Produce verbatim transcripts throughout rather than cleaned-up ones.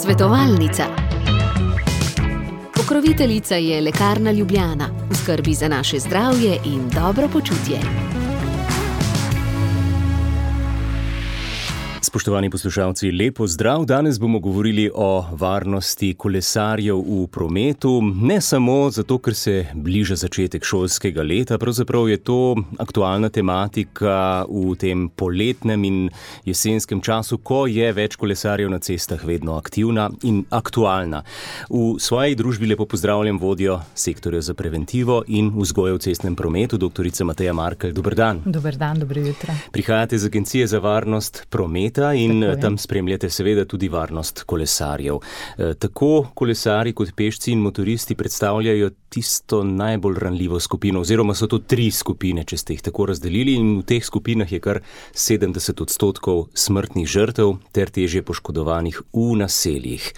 Svetovalnica. Pokroviteljica je Lekarna Ljubljana, v skrbi za naše zdravje in dobro počutje. Spoštovani poslušalci, lepo zdrav. Danes bomo govorili o varnosti kolesarjev v prometu. Ne samo zato, ker se bliža začetek šolskega leta, pravzaprav je to aktualna tematika v tem poletnem in jesenskem času, ko je več kolesarjev na cestah vedno aktivna in aktualna. V svoji družbi lepo pozdravljam vodjo sektorja za preventivo in vzgojo v cestnem prometu, doktorica Mateja Markelj. Dober dan. Dober dan, dobro jutro. Prihajate iz Agencije za varnost prometa in tam spremljate seveda tudi varnost kolesarjev. Tako kolesari kot pešci in motoristi predstavljajo tisto najbolj ranljivo skupino, oziroma so to tri skupine, če ste jih tako razdelili, in v teh skupinah je kar sedemdeset odstotkov smrtnih žrtev ter težje poškodovanih v naseljih.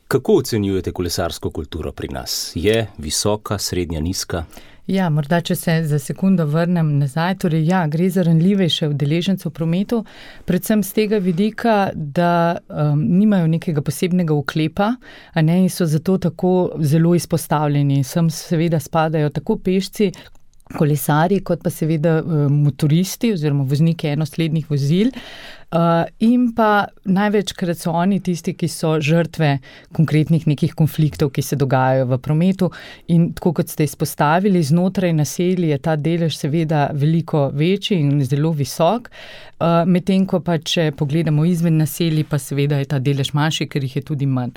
Kako ocenjujete kolesarsko kulturo pri nas? Je visoka, srednja, nizka? Ja, morda, če se za sekundo vrnem nazaj, torej ja, gre za ranljivejše udeležence v prometu, predvsem z tega vidika, da um, nimajo nekega posebnega uklepa, a ne, in so zato tako zelo izpostavljeni. Sem seveda spadajo tako pešci, kolesarji, kot pa seveda motoristi oziroma vozniki enoslednih vozil. Uh, in pa največkrat so oni tisti, ki so žrtve konkretnih nekih konfliktov, ki se dogajajo v prometu, in tako kot ste izpostavili, znotraj naselij je ta delež seveda veliko večji in zelo visok, uh, medtem ko pa če pogledamo izven naselij, pa seveda je ta delež manjši, ker jih je tudi manj.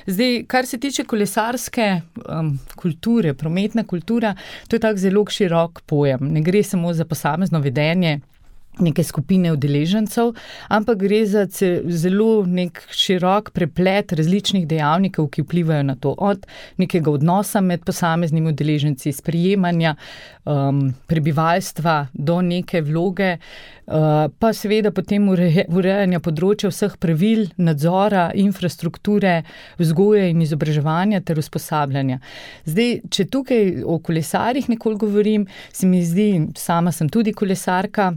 Zdaj, kar se tiče kolesarske um, kulture, prometna kultura, to je tak zelo širok pojem. Ne gre samo za posamezno vedenje neke skupine udeležencev, ampak gre za zelo nek širok preplet različnih dejavnikov, ki vplivajo na to, od nekega odnosa med posameznimi udeleženci, sprejemanja um, prebivalstva do neke vloge, uh, pa seveda potem ureje, urejanja področja vseh pravil, nadzora, infrastrukture, vzgoje in izobraževanja ter usposabljanja. Zdaj, če tukaj o kolesarjih nekoliko govorim, se mi zdi, sama sem tudi kolesarka,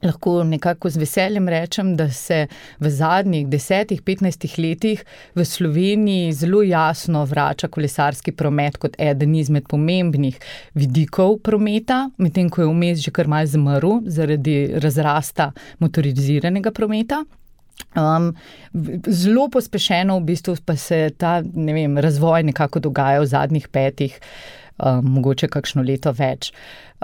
lahko nekako z veseljem rečem, da se v zadnjih desetih, petnajstih letih v Sloveniji zelo jasno vrača kolesarski promet kot eden izmed pomembnih vidikov prometa, medtem ko je vmes že kar malo zamrl zaradi razrasta motoriziranega prometa. Um, zelo pospešeno v bistvu pa se ta, ne vem, razvoj nekako dogaja v zadnjih petih, um, mogoče kakšno leto več.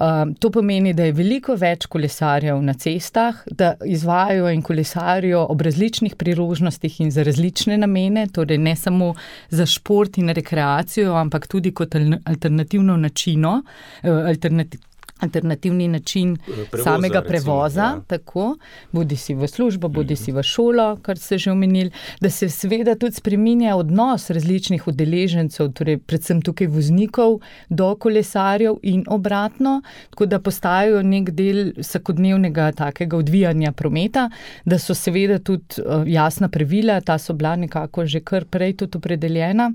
Um, to pomeni, da je veliko več kolesarjev na cestah, da izvajajo in kolesarijo ob različnih priložnostih in za različne namene, torej ne samo za šport in rekreacijo, ampak tudi kot alternativno načino, alternativ, alternativni način prevoza, samega prevoza, recimo, ja. Tako, bodi si v službo, bodi si v šolo, kar ste že omenili, da se seveda tudi spreminja odnos različnih udeležencev, torej predvsem tukaj voznikov do kolesarjev in obratno, tako da postajajo nek del vsakodnevnega takega odvijanja prometa, da so seveda tudi jasna pravila, ta so bila nekako že kar prej tudi opredeljena,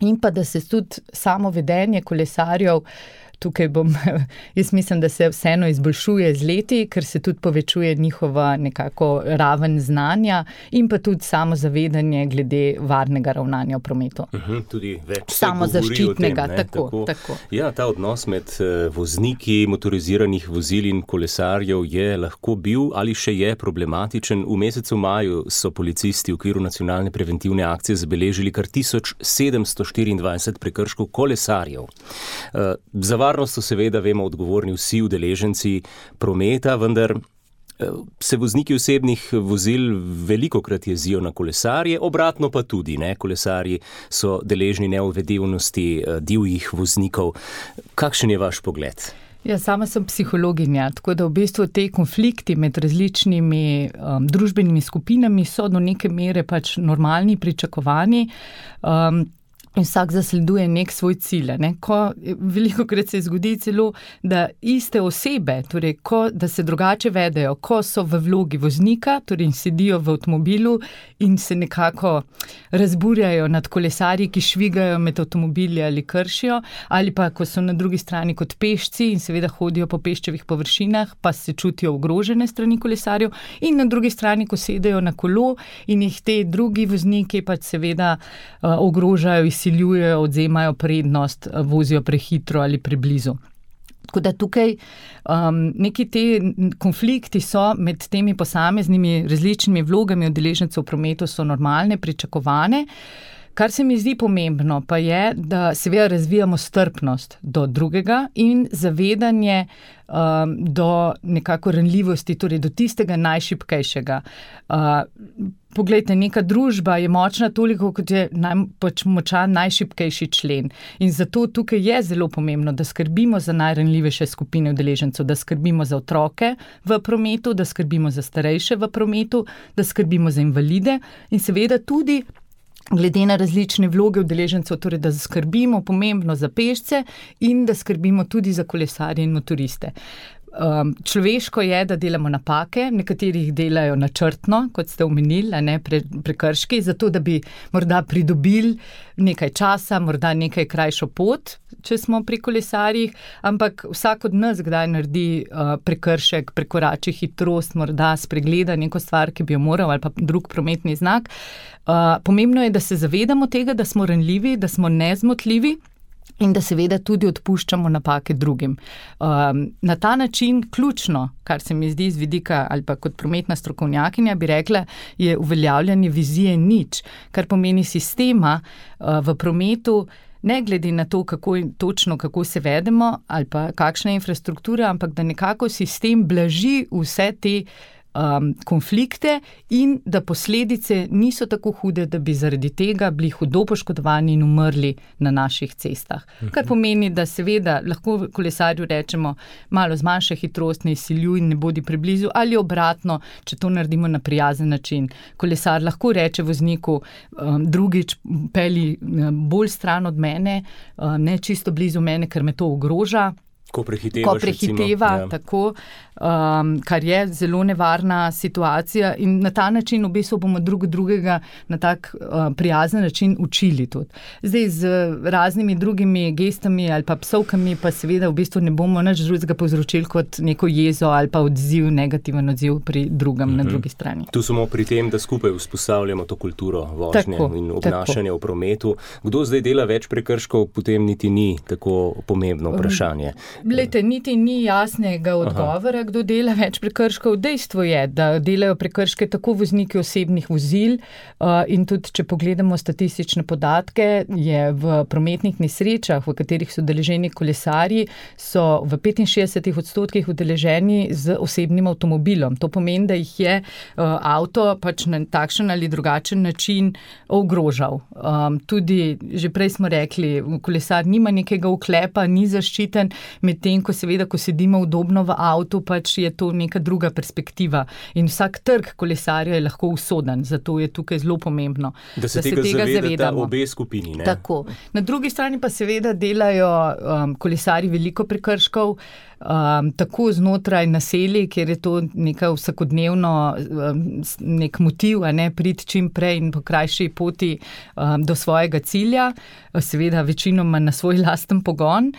in pa da se tudi samo vedenje kolesarjev, tukaj bom, jaz mislim, da se vseeno izboljšuje z leti, ker se tudi povečuje njihova nekako raven znanja in pa tudi samo zavedanje glede varnega ravnanja v prometu. Uh-huh, tudi več samo zaščitnega, tem, tako, tako. tako. Ja, ta odnos med vozniki motoriziranih vozil in kolesarjev je lahko bil ali še je problematičen. V mesecu maju so policisti v okviru nacionalne preventivne akcije zabeležili kar tisoč sedemsto štiriindvajset prekrškov kolesarjev. Uh, za varnost so seveda, vemo, odgovorni vsi udeleženci prometa, vendar se vozniki osebnih vozil velikokrat jezijo na kolesarje, obratno pa tudi, ne, kolesarji so deležni neuvedevnosti divjih voznikov. Kakšen je vaš pogled? Ja, sama sem psihologinja, tako da v bistvu te konflikti med različnimi um, družbenimi skupinami so do neke mere pač normalni, pričakovani. Um, in vsak zasleduje nek svoj cilj. Ne? Ko, veliko krat se zgodi celo, da iste osebe, torej ko, da se drugače vedejo, ko so v vlogi voznika, torej sedijo v avtomobilu in se nekako razburjajo nad kolesarji, ki švigajo med avtomobili ali kršijo, ali pa ko so na drugi strani kot pešci in seveda hodijo po peščevih površinah, pa se čutijo ogrožene strani kolesarjev, in na drugi strani, ko sedejo na kolo in jih te drugi vozniki pač seveda uh, ogrožajo, izsiljujejo, odzemajo prednost, vozijo prehitro ali preblizu. Tako da tukaj um, neki te konflikti so med temi posameznimi različnimi vlogami udeležencev v prometu so normalne, pričakovane. Kar se mi zdi pomembno pa je, da seveda razvijamo strpnost do drugega in zavedanje um, do nekako ranljivosti, torej do tistega najšibkejšega. Uh, Poglejte, neka družba je močna toliko, kot je naj, pač močan najšibkejši člen. In zato tukaj je zelo pomembno, da skrbimo za najranljivejše skupine udeležencev, da skrbimo za otroke v prometu, da skrbimo za starejše v prometu, da skrbimo za invalide in seveda tudi glede na različne vloge udeležencev, torej da skrbimo pomembno za pešce in da skrbimo tudi za kolesarje in motoriste. Um, človeško je, da delamo napake, nekaterih delajo načrtno, kot ste omenili, a ne pre, prekrški, zato da bi morda pridobili nekaj časa, morda nekaj krajšo pot, če smo pri kolesarjih, ampak vsak od nas kdaj naredi uh, prekršek, prekorači hitrost, morda spregleda neko stvar, ki bi jo moral, ali pa drug prometni znak. Uh, pomembno je, da se zavedamo tega, da smo ranljivi, da smo nezmotljivi, in da seveda tudi odpuščamo napake drugim. Um, na ta način ključno, kar se mi zdi z vidika ali pa kot prometna strokovnjakinja, bi rekla, je uveljavljanje vizije nič, kar pomeni sistema uh, v prometu, ne glede na to, kako točno, kako se vedemo ali pa kakšna je infrastruktura, ampak da nekako sistem blaži vse te Um, konflikte in da posledice niso tako hude, da bi zaradi tega bili hudo poškodovani in umrli na naših cestah. Kar pomeni, da seveda lahko kolesarju rečemo, malo zmanjša hitrost, ne izsiljuj in ne bodi preblizu, ali obratno, če to naredimo na prijazen način. Kolesar lahko reče vozniku, um, drugič pelji bolj stran od mene, um, ne čisto blizu mene, ker me to ogroža. Ko prehiteva, ko prehiteva recimo, tako, um, kar je zelo nevarna situacija in na ta način v bistvu bomo drug drugega na tak uh, prijazen način učili tudi. Zdaj z raznimi drugimi gestami ali pa psovkami pa seveda v bistvu ne bomo nič drugega povzročili kot neko jezo ali pa odziv, negativen odziv pri drugem mm-hmm. na drugi strani. Tu smo pri tem, da skupaj vzpostavljamo to kulturo vožnje tako, in obnašanja tako. V prometu. Kdo zdaj dela več prekrškov, potem niti ni tako pomembno vprašanje. Glejte, niti ni jasnega odgovora, Aha. Kdo dela več prekrškov. Dejstvo je, da delajo prekrške tako vozniki osebnih vozil uh, in tudi, če pogledamo statistične podatke, je v prometnih nesrečah, v katerih so udeleženi kolesarji, so v petinšestdesetih odstotkih udeleženi z osebnim avtomobilom. To pomeni, da jih je uh, avto pač na takšen ali drugačen način ogrožal. Um, tudi, že prej smo rekli, kolesar nima nekega uklepa, ni zaščiten, medtem, ko seveda, ko sedimo udobno v avtu, pač je to neka druga perspektiva. In vsak trg kolesarja je lahko usoden, zato je tukaj zelo pomembno, da se, da tega, se tega zavedamo. Obe skupini, ne? Tako. Na drugi strani pa seveda delajo um, kolesarji veliko prekrškov, Um, tako znotraj naselij, kjer je to neka vsakodnevno um, nek motiv, a ne priti čim prej in po krajši poti um, do svojega cilja, seveda večinoma na svoj lasten pogon.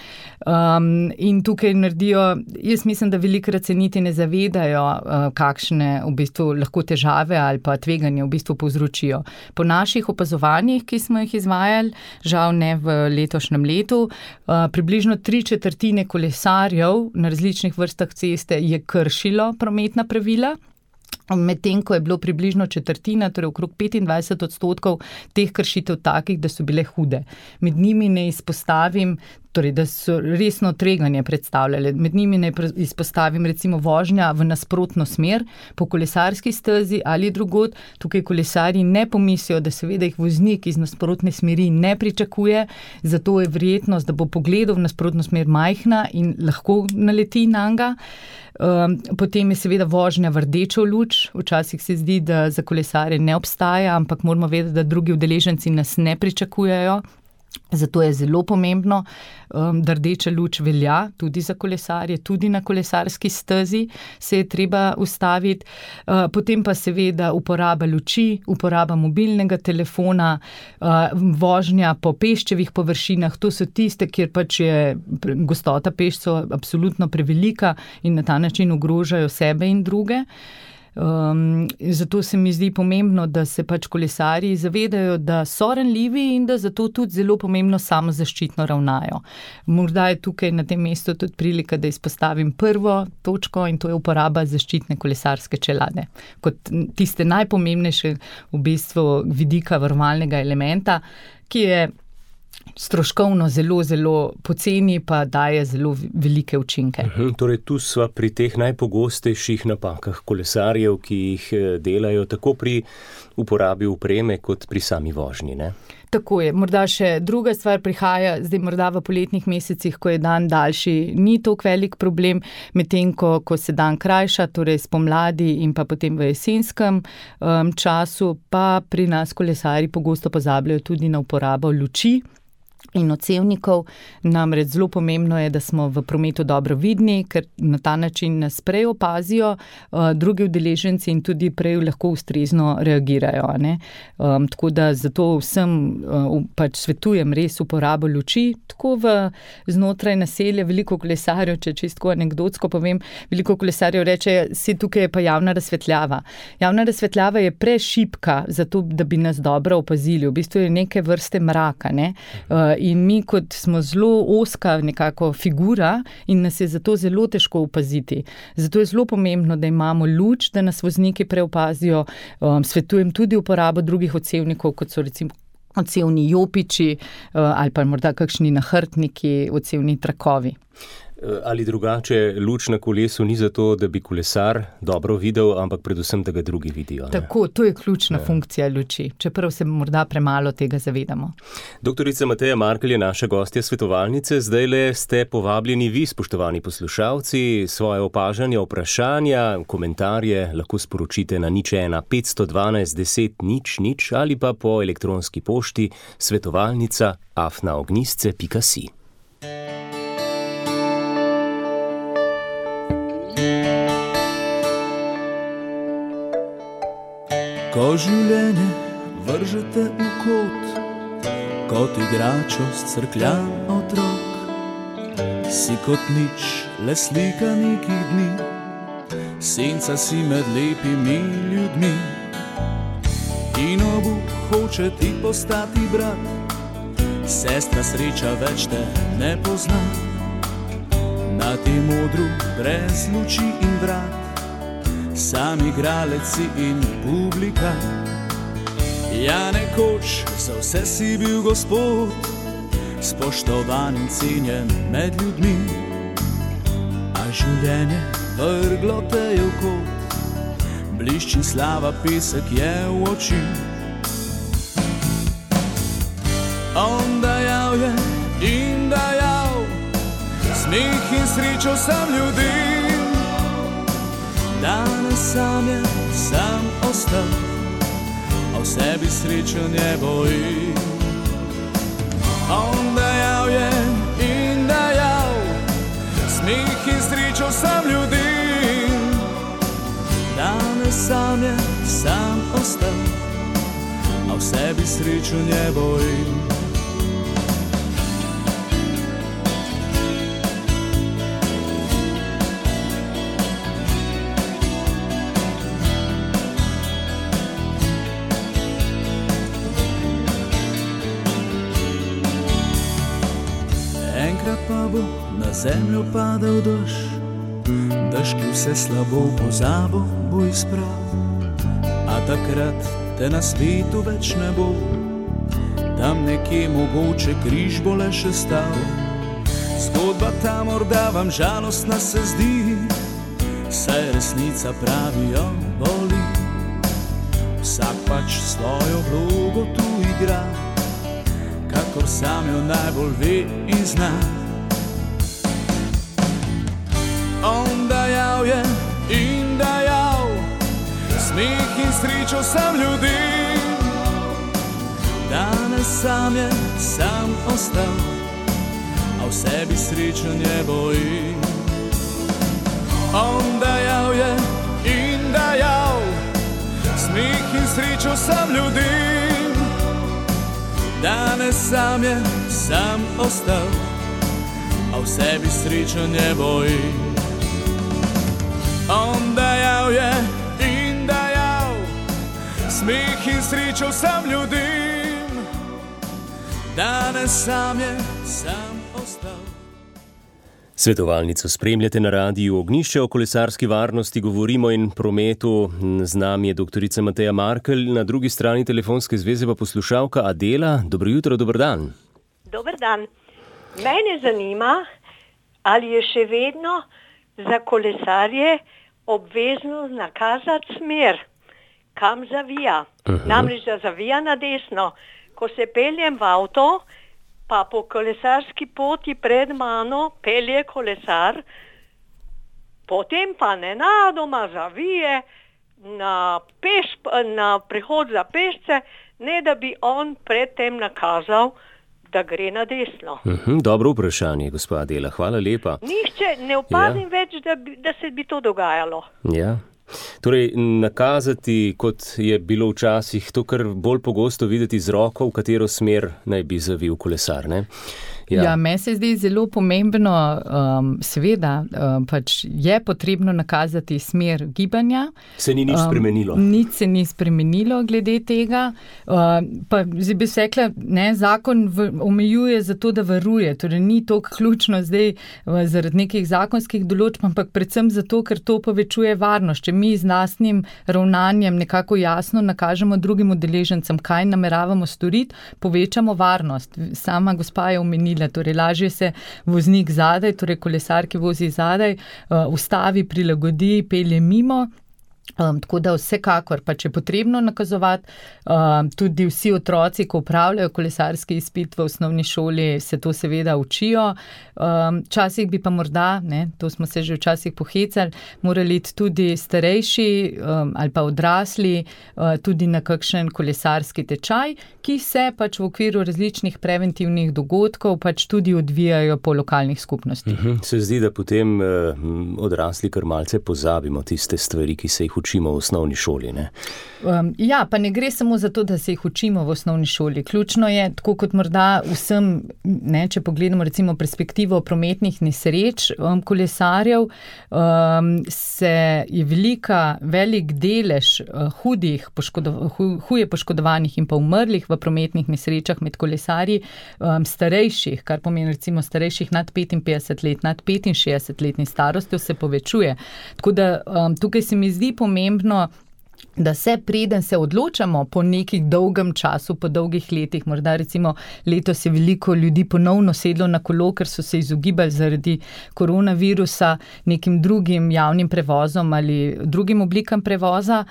Um, in tukaj naredijo, jaz mislim, da velikokrat se niti ne zavedajo, uh, kakšne v bistvu lahko težave ali pa tveganje v bistvu povzročijo. Po naših opazovanjih, ki smo jih izvajali, žal ne v letošnjem letu, uh, približno tri četrtine kolesarjev na različnih vrstah ceste je kršilo prometna pravila, medtem ko je bilo približno četrtina, torej okrog petindvajset odstotkov teh kršitev takih, da so bile hude. Med njimi ne izpostavim, torej da so resno tveganje predstavljale. Med njimi ne izpostavim recimo vožnja v nasprotno smer po kolesarski stezi ali drugod. Tukaj kolesarji ne pomislijo, da seveda jih voznik iz nasprotne smeri ne pričakuje, zato je verjetnost, da bo pogledal v nasprotno smer majhna in lahko naleti nanj. Um, potem je seveda vožnja v rdečo luč. Včasih se zdi, da za kolesarje ne obstaja, ampak moramo vedeti, da drugi udeleženci nas ne pričakujejo. Zato je zelo pomembno, da rdeča luč velja tudi za kolesarje, tudi na kolesarski stezi se je treba ustaviti. Potem pa seveda uporaba luči, uporaba mobilnega telefona, vožnja po peščevih površinah, to so tiste, kjer pač je gostota pešcev absolutno prevelika in na ta način ogrožajo sebe in druge. Um, zato se mi zdi pomembno, da se pač kolesarji zavedajo, da so ranljivi in da zato tudi zelo pomembno samozaščitno ravnajo. Morda je tukaj na tem mestu tudi prilika, da izpostavim prvo točko in to je uporaba zaščitne kolesarske čelade. Kot tiste najpomembnejše v bistvu vidika varovalnega elementa, ki je stroškovno zelo, zelo poceni, pa daje zelo velike učinke. Uhum, torej tu sva pri teh najpogostejših napakah kolesarjev, ki jih delajo tako pri uporabi opreme kot pri sami vožnji, ne? Tako je. Morda še druga stvar prihaja, zdaj morda v poletnih mesecih, ko je dan daljši, ni toliko velik problem, medtem ko, ko se dan krajša, torej spomladi in pa potem v jesenskem um, času, pa pri nas kolesarji pogosto pozabljajo tudi na uporabo luči in odsevnikov. Namreč zelo pomembno je, da smo v prometu dobro vidni, ker na ta način nas prej opazijo uh, drugi udeleženci in tudi prej lahko ustrezno reagirajo. Ne? Um, tako da zato vsem uh, pač svetujem res uporabo luči, tako v znotraj naselja. Veliko kolesarjev, če čisto anekdotsko povem, veliko kolesarjev reče, si tukaj je pa javna razsvetljava. Javna razsvetljava je prešipka, zato da bi nas dobro opazili. V bistvu je neke vrste mraka, ne? Uh, In mi kot smo zelo ozka nekako figura in nas je zato zelo težko opaziti. Zato je zelo pomembno, da imamo luč, da nas vozniki preopazijo. Um, svetujem tudi uporabo drugih odsevnikov, kot so recimo odsevni jopiči uh, ali pa morda kakšni nahrbtniki, odsevni trakovi. Ali drugače, luč na kolesu ni zato, da bi kolesar dobro videl, ampak predvsem, da ga drugi vidijo. Ne? Tako, to je ključna ja. funkcija luči, čeprav se morda premalo tega zavedamo. Doktorica Mateja Markelj je naša gostja svetovalnice. Zdajle ste povabljeni vi, spoštovani poslušalci, svoje opažanja, vprašanja, komentarje lahko sporočite na nič ena petsto dvanajst deset nič nič ali pa po elektronski pošti svetovalnica afna ognjisce pika si. Ko življenje vržete v kot, kot igračo scrkljan otrok, si kot nič, le slika nekih dni, senca si med lepimi ljudmi. In obuk hoče ti postati brat, sestra sreča več te ne pozna. Na tem odru brez luči in vrat, sam igraleci in publika. Ja, nekoč za vse si bil gospod, spoštovan in cenjen med ljudmi. A življenje vrglo te je v kot, blišči slava, pesek je v oči. On dajal je in dajal, smeh in srečo sam ljudi. Danes sam je sam ostal, a v sebi srečo ne boji. On dajal je in dajal, smeh in srečo sam ljudi. Danes sam je sam ostal, a v sebi srečo ne boji. Pa bo na zemljo padal dež, dež, ki vse slabo v pozabo bo izprav. A takrat te na svetu več ne bo, tam nekje mogoče križ bo le še stal. Zgodba ta morda vam žalostna se zdi, saj resnica pravijo boli. Vsak pač svojo vlogo tu igra, kakor sam jo najbolj ve in zna. On dajal je in dajal, smeh in srečo sam ljudi. Danes Danes sam je sam ostal, a v sebi srečo ne boji. On dajal je in dajal smih in srečo sam ljudim. Danes sam je sam ostal, a v sebi srečo ne boji. On dajal je in dajal smih in srečo sam ljudim. Danes sam je sam ostal. Svetovalnico spremljate na radiju Ognjišče. O kolesarski varnosti govorimo in prometu. Z nami je doktorica Mateja Markelj, na drugi strani telefonske zveze pa poslušalka Adela. Dobro jutro, dober dan. Dober dan. Mene zanima, ali je še vedno za kolesarje obvezno nakazati smer, kam zavija. Uh-huh. Namreč, da zavija na desno. Ko se peljem v avto, pa po kolesarski poti pred mano pelje kolesar, potem pa nenadoma zavije na, peš, na prehod za pešce, ne da bi on predtem nakazal, da gre na desno. Uhum, dobro vprašanje, gospa Adela, hvala lepa. Nihče ne opadim ja. več, da, bi, da se bi to dogajalo. Ja. Torej, nakazati, kot je bilo včasih, to kar bolj pogosto videti z roko, v katero smer naj bi zavil kolesar, ne? Ja, ja meni se zdi zelo pomembno, um, seveda, um, pač je potrebno nakazati smer gibanja. Se ni nič um, spremenilo. Nič se ni spremenilo glede tega. Uh, pa zdaj bi se rekla, ne, zakon v, omejuje zato, da varuje. Torej ni to ključno zdaj uh, zaradi nekih zakonskih določb, ampak predvsem zato, ker to povečuje varnost. Če mi z lastnim ravnanjem nekako jasno nakažemo drugim udeležencem, kaj nameravamo storiti, povečamo varnost. Sama gospa je omenila, torej lažje se voznik zadaj, torej kolesar, ki vozi zadaj, uh, ustavi, prilagodi, pelje mimo. Um, tako da vsekakor, pa če je potrebno nakazovati, um, tudi vsi otroci, ko upravljajo kolesarski izpit v osnovni šoli, se to seveda učijo. Um, časih bi pa morda, ne, to smo se že včasih pohecali, morali tudi starejši um, ali pa odrasli uh, tudi na kakšen kolesarski tečaj, ki se pač v okviru različnih preventivnih dogodkov pač tudi odvijajo po lokalnih skupnostih. Mhm, se zdi, da potem uh, odrasli kar malce pozabimo tiste stvari, ki se jih učimo v osnovni šoli, ne? Um, ja, pa ne gre samo za to, da se jih učimo v osnovni šoli. Ključno je, tako kot morda vsem, ne, če pogledamo recimo perspektivo prometnih nesreč um, kolesarjev, um, se je velika, velik delež uh, hudih, poškodo, hu, huje poškodovanih in pa umrlih v prometnih nesrečah med kolesarji um, starejših, kar pomeni recimo starejših nad petinpetdeset let, nad petinšestdeset letni starostjo se povečuje. Tako da um, tukaj se mi zdi pomembno, da se preden se odločamo po nekih dolgem času, po dolgih letih, morda recimo letos je veliko ljudi ponovno sedlo na kolo, ker so se izogibali zaradi koronavirusa nekim drugim javnim prevozom ali drugim oblikam prevoza,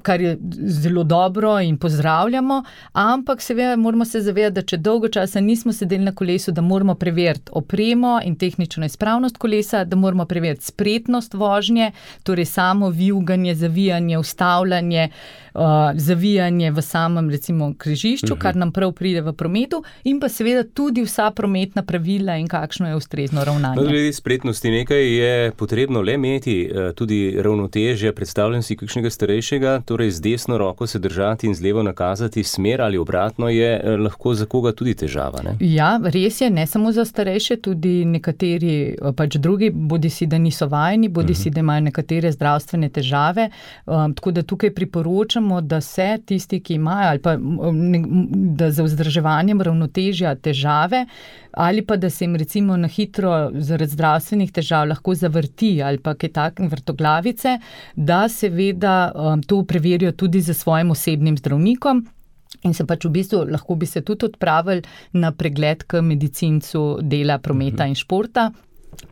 kar je zelo dobro in pozdravljamo, ampak seveda moramo se zavedati, da če dolgo časa nismo sedeli na kolesu, da moramo preveriti opremo in tehnično izpravnost kolesa, da moramo preveriti spretnost vožnje, torej samo vijuganje, zavijanje, ustavljanje, Uh, zavijanje v samem recimo križišču, uh-huh. kar nam prav pride v prometu, in pa seveda tudi vsa prometna pravila in kakšno je ustrezno ravnanje. No, glede spretnosti nekaj je potrebno le imeti, tudi ravnotežje. Predstavljam si kakšnega starejšega, torej z desno roko se držati in z levo nakazati smer ali obratno je lahko za koga tudi težava, ne? Ja, res je, ne samo za starejše, tudi nekateri pač drugi, bodi si, da niso vajeni, bodi uh-huh. si, da imajo nekatere zdravstvene težave, um, tako da tukaj priporočamo, da se tisti, ki imajo, ali pa da za vzdrževanjem ravnotežja težave, ali pa da se jim recimo na hitro zaradi zdravstvenih težav lahko zavrti ali pa kaj takem vrtoglavice, da seveda um, to preverijo tudi za svojim osebnim zdravnikom. In se pač v bistvu lahko bi se tudi odpravili na pregled k medicincu dela, prometa in športa,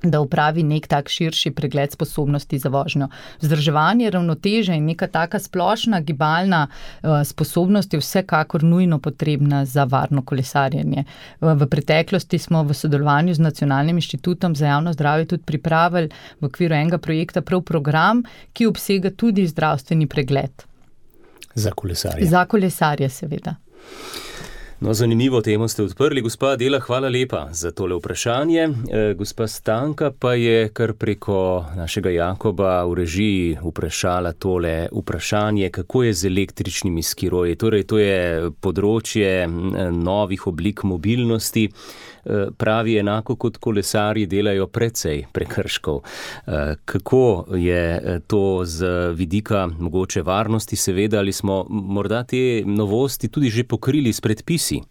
da upravi nek tak širši pregled sposobnosti za vožnjo. Vzdrževanje ravnoteže in neka taka splošna gibalna uh, sposobnost je vsekakor nujno potrebna za varno kolesarjenje. Uh, v preteklosti smo v sodelovanju z Nacionalnim inštitutom za javno zdravje tudi pripravili v okviru enega projekta prav program, ki obsega tudi zdravstveni pregled. Za kolesarje. Za kolesarje, seveda. No, zanimivo temo ste odprli. Gospa Adela, hvala lepa za tole vprašanje. E, gospa Stanka pa je kar preko našega Jakoba v režiji vprašala tole vprašanje, kako je z električnimi skiroji. Torej, to je področje novih oblik mobilnosti. Pravi, enako kot kolesarji delajo precej prekrškov. Kako je to z vidika mogoče varnosti, seveda, ali smo morda te novosti tudi že pokrili s predpisi?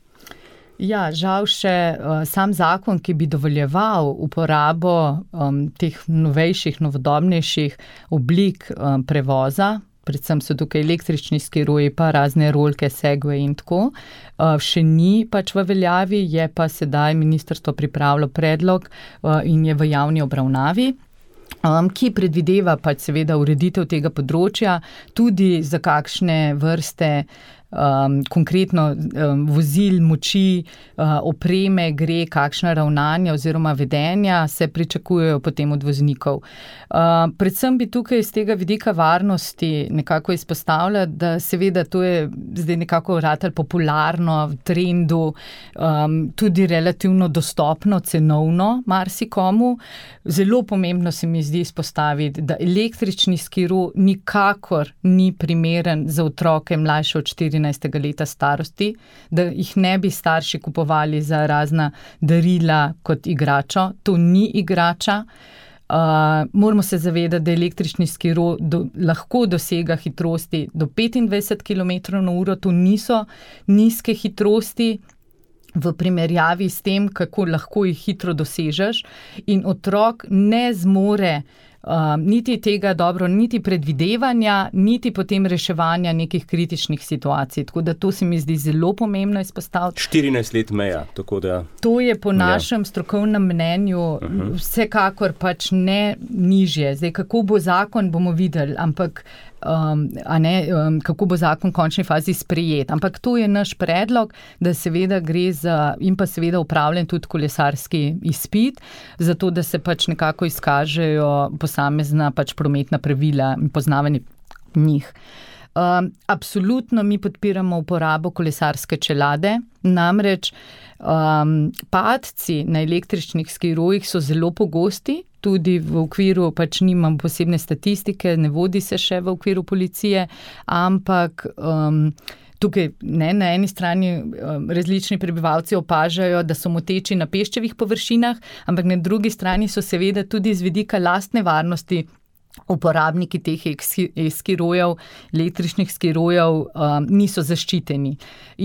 Ja, žal še uh, sam zakon, ki bi dovoljeval uporabo um, teh novejših, novodobnejših oblik um, prevoza, predvsem so tukaj električni skiroji, pa razne rolke, segway in tako, uh, še ni pač v veljavi, je pa sedaj ministrstvo pripravilo predlog uh, in je v javni obravnavi. Um, ki predvideva pač seveda ureditev tega področja, tudi za kakšne vrste um, konkretno um, vozil, moči, uh, opreme gre, kakšna ravnanja oziroma vedenja se pričakujejo potem od voznikov. Uh, predvsem bi tukaj iz tega vidika varnosti nekako izpostavljala, da seveda to je zdaj nekako ratalo popularno v trendu, um, tudi relativno dostopno, cenovno marsikomu. Zelo pomembno se mi zdi izpostaviti, da električni skiro nikakor ni primeren za otroke mlajše od štirinajstega leta starosti, da jih ne bi starši kupovali za razna darila kot igračo. To ni igrača. Uh, moramo se zavedati, da električni skiro do, lahko dosega hitrosti do petindvajset kilometrov na uro. To niso nizke hitrosti v primerjavi s tem, kako lahko jih hitro dosežeš, in otrok ne zmore Uh, niti tega dobro, niti predvidevanja, niti potem reševanja nekih kritičnih situacij. Tako da to se mi zdi zelo pomembno izpostaviti. štirinajst let meja, tako da... To je po našem ja. strokovnem mnenju uh-huh. vsekakor pač ne nižje. Zdaj, kako bo zakon, bomo videli, ampak um, a ne, um, kako bo zakon v končni fazi sprejet. Ampak to je naš predlog, da seveda gre za, in pa seveda upravljen tudi kolesarski izpit, zato da se pač nekako izkažejo posamezna pač prometna pravila in poznavanje njih. Um, absolutno mi podpiramo uporabo kolesarske čelade, namreč um, padci na električnih skirojih so zelo pogosti, tudi v okviru, pač nimam posebne statistike, ne vodi se še v okviru policije, ampak um, tukaj ne, na eni strani um, različni prebivalci opažajo, da so moteči na peščevih površinah, ampak na drugi strani so seveda tudi z vidika lastne varnosti uporabniki teh skirojev, električnih skirojev um, niso zaščiteni.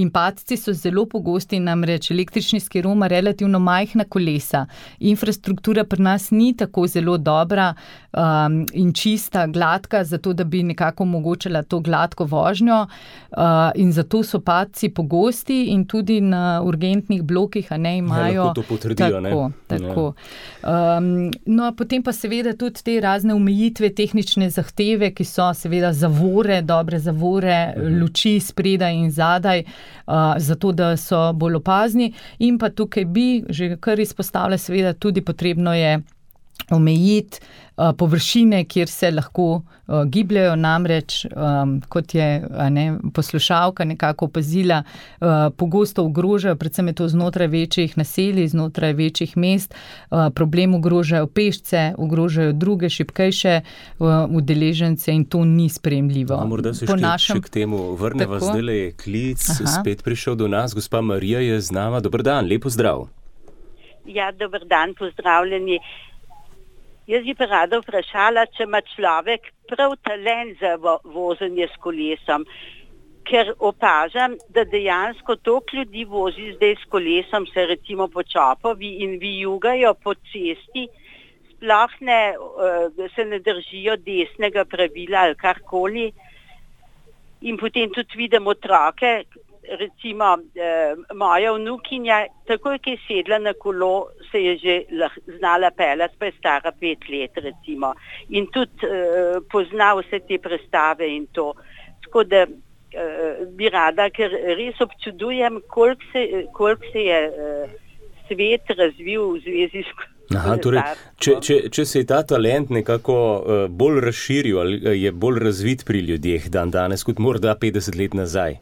In padci so zelo pogosti, namreč električni skiro ima relativno majhna kolesa. Infrastruktura pri nas ni tako zelo dobra um, in čista, gladka, zato da bi nekako omogočala to gladko vožnjo uh, in zato so padci pogosti in tudi na urgentnih blokih, a ne imajo... Ja, lahko to potrdijo, tako, ne? Tako. Ja. Um, no, potem pa seveda tudi te razne omejitve, tehnične zahteve, ki so seveda zavore, dobre zavore, mhm. luči spredaj in zadaj, uh, zato da so bolj opazni. In pa tukaj bi že kar izpostavila, seveda tudi potrebno je omejiti uh, površine, kjer se lahko uh, gibljajo, namreč, um, kot je a ne, poslušalka nekako opazila, uh, pogosto ogrožajo, predvsem je to znotraj večjih naselij, znotraj večjih mest, uh, problem ogrožajo pešce, ogrožajo druge šibkejše uh, udeležence in to ni sprejemljivo. A morda se še, našem... še k temu vrneva, zdaj je klic Aha. spet prišel do nas. Gospa Marija je z nama. Dober dan, lepo zdrav. Ja, dober dan, pozdravljeni. Jaz bi pa rada vprašala, če ima človek prav talent za vozenje s kolesom, ker opažam, da dejansko toliko ljudi vozi zdaj s kolesom, se recimo po Čopovi in vijugajo po cesti, sploh ne, se ne držijo desnega pravila ali karkoli. In potem tudi vidim otroke, recimo eh, moja vnukinja, takoj, ki je sedla na kolo, se je že lah, znala peljati, pa je stara pet let, recimo. In tudi eh, pozna vse te prestave in to. Tako da eh, bi rada, ker res občudujem, koliko se, koliko se je eh, svet razvil v zvezi s Aha, torej, če, če, če se je ta talent nekako uh, bolj razširil, ali je bolj razvit pri ljudeh dan danes, kot morda petdeset let nazaj?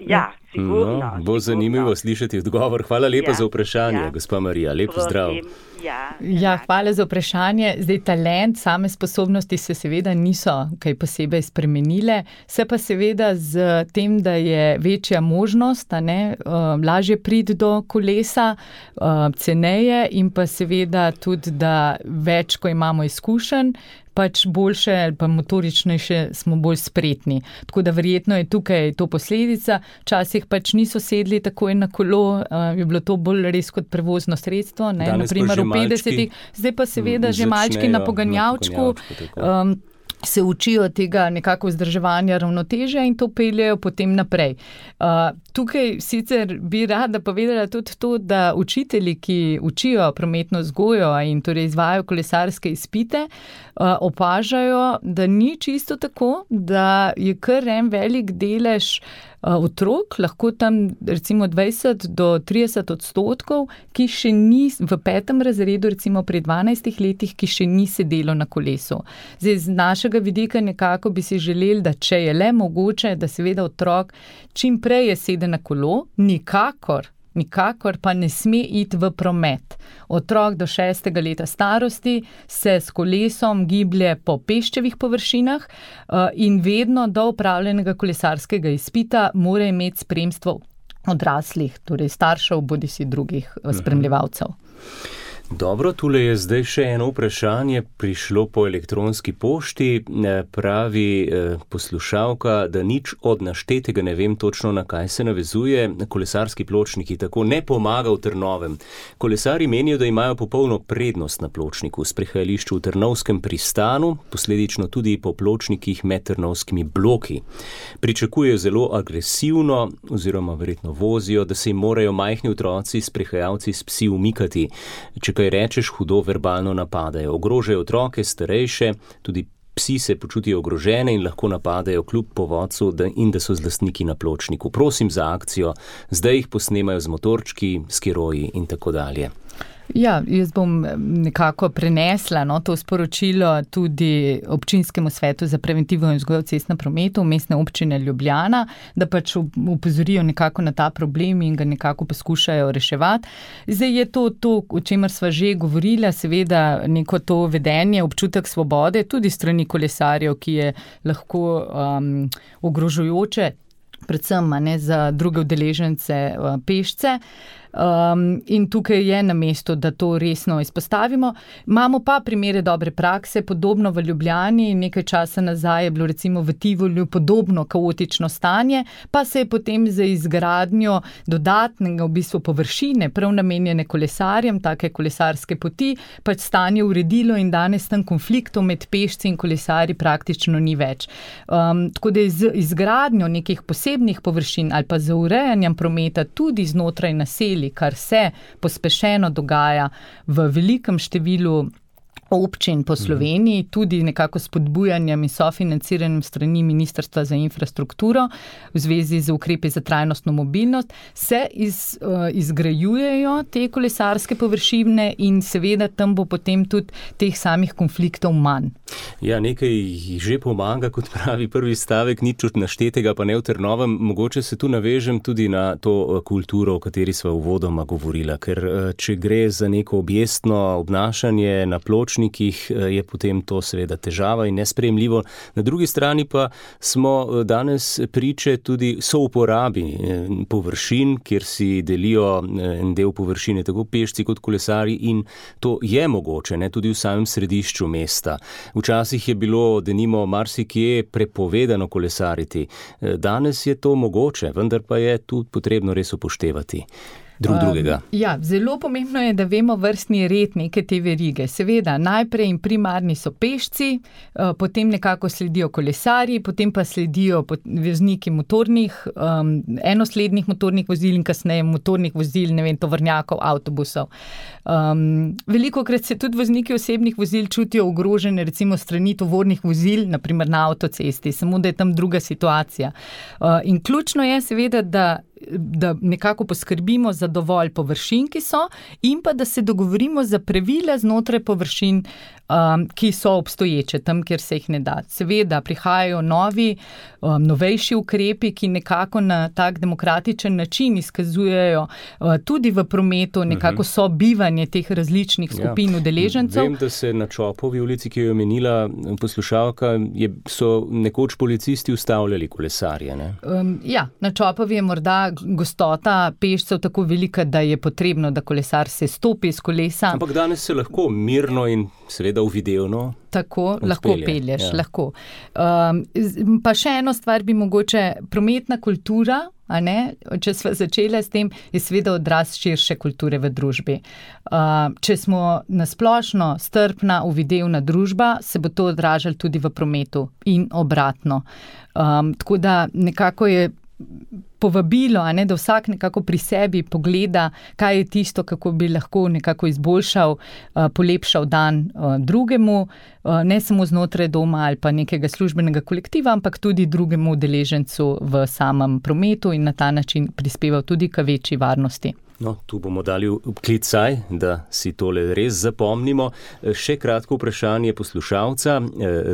Ja, sigurno. No, bo zanimivo slišati odgovor. Hvala lepa Ja, za vprašanje, ja. gospa Marija. Lep pozdrav. Prosim. Ja, Ja, hvala za vprašanje. Zdaj, talent, same sposobnosti se seveda niso kaj posebej spremenile, se pa seveda z tem, da je večja možnost, a ne, uh, lažje priti do kolesa, uh, ceneje in pa seveda tudi, da več, ko imamo izkušenj, pač boljše ali pa motoričnejše smo bolj spretni. Tako da verjetno je tukaj to posledica. Včasih pač niso sedli takoj na kolo, uh, je bilo to bolj res kot prevozno sredstvo, ne, Danes pa naprimer že v petdesetih, zdaj pa seveda že malčki na začnejo poganjavčku. na poganjavčku, tako. Um, se učijo tega nekako vzdrževanja ravnotežja in to peljejo potem naprej. Uh, tukaj sicer bi rada povedala tudi to, da učitelji, ki učijo prometno vzgojo in torej izvajajo kolesarske izpite, uh, opažajo, da ni čisto tako, da je kar en velik delež otrok, lahko tam recimo dvajset do trideset odstotkov, ki še ni v petem razredu, recimo pri dvanajstih letih, ki še ni sedelo na kolesu. Zdaj, z našega vidika nekako bi si želeli, da če je le mogoče, da seveda otrok čim prej je sede na kolo, nikakor, nikakor pa ne sme iti v promet. Otrok do šestega leta starosti se s kolesom giblje po peščevih površinah in vedno do opravljenega kolesarskega izpita mora imeti spremstvo odraslih, torej staršev, bodisi drugih spremljevalcev. Dobro, tule je zdaj še eno vprašanje, prišlo po elektronski pošti, pravi poslušalka, da nič od naštetega ne vem točno, na kaj se navezuje. Kolesarski pločniki tako ne pomaga v Trnovem. Kolesari menijo, da imajo popolno prednost na pločniku, sprehajališču v Trnovskem pristanu, posledično tudi po pločnikih med trnovskimi bloki. Pričakujejo zelo agresivno, oziroma verjetno vozijo, da se jim morajo majhni otroci, sprehajalci s psi umikati. Če kaj rečeš, hudo verbalno napadajo. Ogrožajo otroke, starejše, tudi psi se počutijo ogrožene in lahko napadajo kljub povodcu in da so z lastniki na pločniku. Prosim za akcijo, zdaj jih posnemajo z motorčki, skiroji in tako dalje. Ja, jaz bom nekako prenesla no, to sporočilo tudi občinskemu svetu za preventivo in vzgojo v cestnem prometu Mestne občine Ljubljana, da pač upozorijo nekako na ta problem in ga nekako poskušajo reševati. Zdaj je to, to o čemer sva že govorila, seveda neko to vedenje, občutek svobode, tudi strani kolesarjev, ki je lahko um, ogrožujoče, predvsem ne, za druge udeležence uh, pešce. Um, in tukaj je na mestu, da to resno izpostavimo. Imamo pa primere dobre prakse, podobno v Ljubljani, nekaj časa nazaj je bilo recimo v Tivolju podobno kaotično stanje, pa se je potem za izgradnjo dodatnega v bistvu površine, prav namenjene kolesarjem, take kolesarske poti, pač stanje uredilo in danes tam konfliktov med pešci in kolesarji praktično ni več. Um, tako da je z izgradnjo nekih posebnih površin ali pa za urejanjem prometa tudi znotraj naselij, kar se pospešeno dogaja v velikem številu občin po Sloveniji, tudi nekako spodbujanjem in sofinanciranjem strani Ministrstva za infrastrukturo v zvezi z ukrepi za trajnostno mobilnost, se iz, uh, izgrajujejo te kolesarske površine in seveda tam bo potem tudi teh samih konfliktov manj. Ja, nekaj jih že pomaga, kot pravi prvi stavek, nič od naštetega pa ne v Trnovem. Mogoče se tu navežem tudi na to kulturo, o kateri sva uvodoma govorila, ker če gre za neko objestno obnašanje na pločniku, je potem to seveda težava in nesprejemljivo. Na drugi strani pa smo danes priče tudi souporabi površin, kjer si delijo en del površine tako pešci kot kolesari in to je mogoče, ne, tudi v samem središču mesta. Včasih je bilo denimo marsikje prepovedano kolesariti. Danes je to mogoče, vendar pa je tu potrebno res upoštevati drug drugega. Um, ja, zelo pomembno je, da vemo vrstni red neke te verige. Seveda, najprej in primarni so pešci, uh, potem nekako sledijo kolesarji, potem pa sledijo vozniki motornih, um, enoslednih motornih vozil in kasneje motornih vozil, ne vem, tovornjakov, avtobusov. Um, velikokrat se tudi vozniki osebnih vozil čutijo ogrožene, recimo strani tovornih vozil, naprimer na avtocesti, samo da je tam druga situacija. Uh, in ključno je seveda, da da nekako poskrbimo za dovolj površin, ki so, in pa da se dogovorimo za pravila znotraj površin, um, ki so obstoječe tam, kjer se jih ne da. Seveda prihajajo novi, um, novejši ukrepi, ki nekako na tak demokratičen način izkazujejo uh, tudi v prometu nekako sobivanje teh različnih skupin ja. udeležencev. Vem, da se na Čopovi ulici, ki jo je omenila poslušalka, je, so nekoč policisti ustavljali kolesarje. Ne? Um, ja, na Čopovi je morda gostota pešcev tako velika, da je potrebno, da kolesar se stopi z kolesa. Ampak danes se lahko mirno in seveda uvidevno Tako, uspelje. lahko pelješ, ja. lahko. Um, pa še eno stvar bi mogoče, prometna kultura, a ne, če sva začela s tem, je seveda odraz širše kulture v družbi. Uh, če smo nasplošno strpna, uvidevna družba, se bo to odražalo tudi v prometu in obratno. Um, tako da nekako je povabilo, a ne, da vsak nekako pri sebi pogleda, kaj je tisto, kako bi lahko nekako izboljšal, uh, polepšal dan uh, drugemu, uh, ne samo znotraj doma ali pa nekega službenega kolektiva, ampak tudi drugemu udeležencu v samem prometu in na ta način prispeval tudi k večji varnosti. No, tu bomo dali vklicaj, da si tole res zapomnimo. Še kratko vprašanje poslušalca.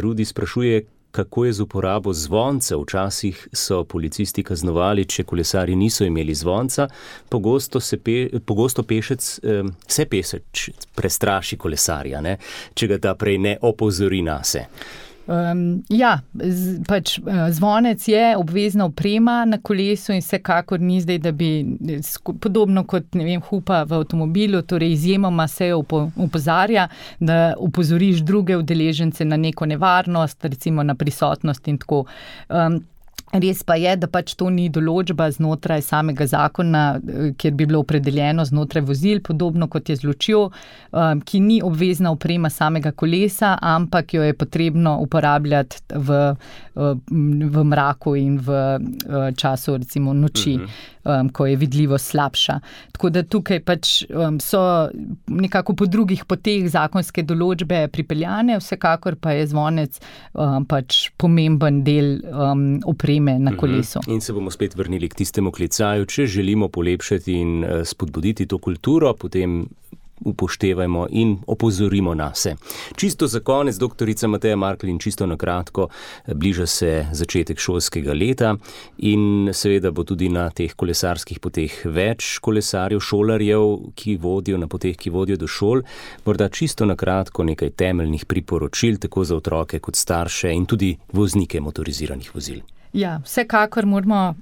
Rudi sprašuje, kako je z uporabo zvonca. Včasih so policisti kaznovali, če kolesarji niso imeli zvonca. Pogosto, se pe, pogosto pešec, se pesec prestraši kolesarja, ne? Če ga ta prej ne opozori nase. Um, ja, z, pač zvonec je obvezna oprema na kolesu in vsekakor ni zdaj, da bi podobno kot, ne vem, hupa v avtomobilu, torej izjemoma se upo, upozarja, da upozoriš druge udeležence na neko nevarnost, recimo na prisotnost in tako. Um, Res pa je, da pač to ni določba znotraj samega zakona, kjer bi bilo opredeljeno znotraj vozil, podobno kot je z lučjo, ki ni obvezna oprema samega kolesa, ampak jo je potrebno uporabljati v, v mraku in v času recimo noči, uh-huh. ko je vidljivost slabša. Tako da tukaj pač so nekako po drugih poteh zakonske določbe pripeljane, vsekakor pa je zvonec pač pomemben del opreme na kolesu. In se bomo spet vrnili k tistemu klicaju. Če želimo polepšati in spodbuditi to kulturo, potem upoštevajmo in opozorimo nase. Čisto za konec, doktorica Mateja Marklin, čisto na kratko, bliža se začetek šolskega leta in seveda bo tudi na teh kolesarskih poteh več kolesarjev, šolarjev, ki vodijo na poteh, ki vodijo do šol. Morda čisto na kratko nekaj temeljnih priporočil, tako za otroke kot starše in tudi voznike motoriziranih vozil. Ja, vsekakor moramo,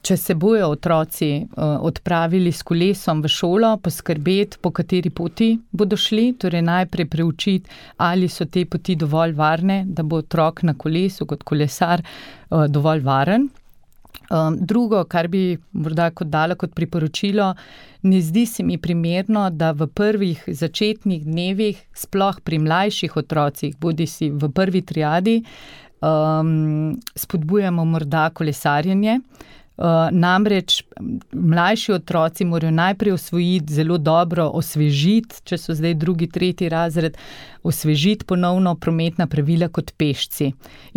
če se bojo otroci odpravili s kolesom v šolo, poskrbeti, po kateri poti bodo šli, torej najprej preučiti, ali so te poti dovolj varne, da bo otrok na kolesu kot kolesar dovolj varen. Drugo, kar bi morda kot dala kot priporočilo, ne zdi se mi primerno, da v prvih začetnih dnevih, sploh pri mlajših otrocih, bodisi v prvi triadi, Um, spodbujamo morda kolesarjenje. Uh, namreč mlajši otroci morajo najprej osvojiti, zelo dobro osvežiti, če so zdaj drugi, tretji razred, osvežiti ponovno prometna pravila kot pešci.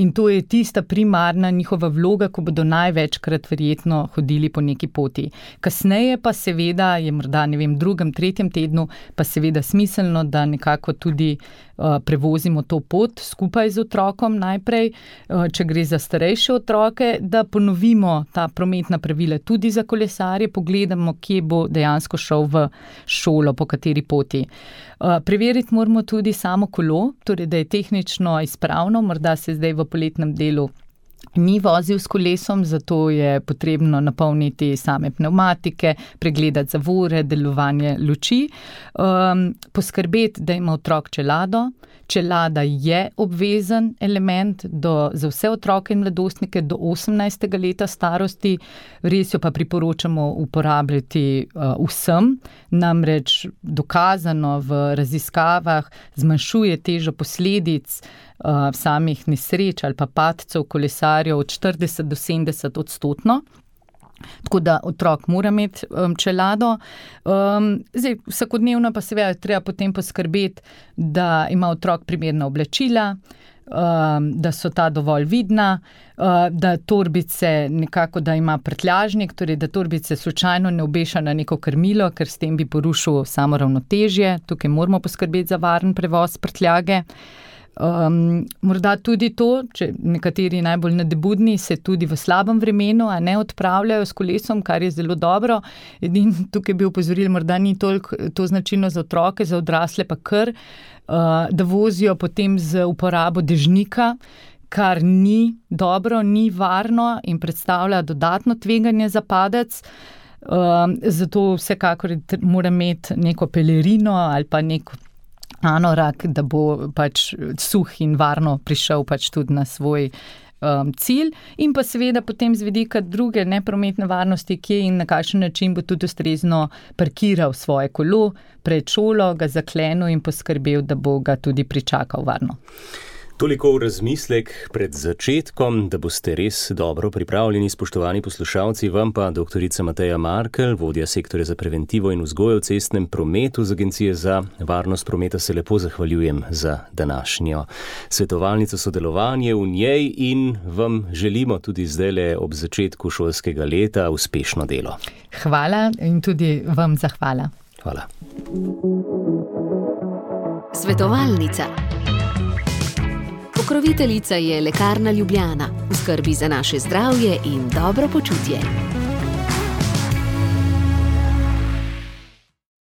In to je tista primarna njihova vloga, ko bodo največkrat verjetno hodili po neki poti. Kasneje pa seveda je morda, ne vem, drugem, tretjem tednu pa seveda smiselno, da nekako tudi uh, prevozimo to pot skupaj z otrokom najprej, uh, če gre za starejše otroke, da ponovimo ta prometna pravila tudi za kolesarje, pogledamo, kje bo dejansko šel v šolo, po kateri poti. Uh, preveriti moramo tudi samo kolo, torej da je tehnično izpravno, morda se zdaj v poletnem delu ni vozil s kolesom, zato je potrebno napolniti same pnevmatike, pregledati zavore, delovanje luči, um, poskrbeti, da ima otrok čelado. Čelada je obvezen element do, za vse otroke in mladostnike do osemnajstega leta starosti, res jo pa priporočamo uporabljati uh, vsem, namreč dokazano v raziskavah zmanjšuje težo posledic uh, samih nesreč ali pa padcev kolesarjev od štirideset do sedemdeset odstotno. Tako da otrok mora imeti um, čelado. Um, zdaj, vsakodnevno pa seveda treba potem poskrbeti, da ima otrok primerna oblačila, da so ta dovolj vidna, da torbice nekako, da ima prtljažnik, torej da torbice slučajno ne obeša na neko krmilo, ker s tem bi porušil samo ravnotežje. Tukaj moramo poskrbeti za varen prevoz prtljage. Um, morda tudi to, če nekateri najbolj nadebudni se tudi v slabem vremenu, a ne odpravljajo s kolesom, kar je zelo dobro. Edin tukaj bi opozorili, morda ni toliko to značilno za otroke, za odrasle pa kar, uh, da vozijo potem z uporabo dežnika, kar ni dobro, ni varno in predstavlja dodatno tveganje za padec. Uh, zato vsekakor mora imeti neko pelerino ali pa neko anorak, da bo pač suh in varno prišel pač tudi na svoj um, cilj. In pa seveda potem z vidika druge neprometne varnosti, kje in na kakšen način bo tudi ustrezno parkiral svoje kolo pred šolo, ga zaklenil in poskrbel, da bo ga tudi pričakal varno. Toliko v razmislek pred začetkom, da boste res dobro pripravljeni, spoštovani poslušalci. Vam pa doktorica Mateja Markelj, vodja sektorja za preventivo in vzgojo v cestnem prometu z Agencije za varnost prometa, se lepo zahvaljujem za današnjo svetovalnico, sodelovanje v njej in vam želimo tudi zdajle ob začetku šolskega leta uspešno delo. Hvala in tudi vam zahvala. Hvala. Svetovalnica. Pokroviteljica je Lekarna Ljubljana, v skrbi za naše zdravje in dobro počutje.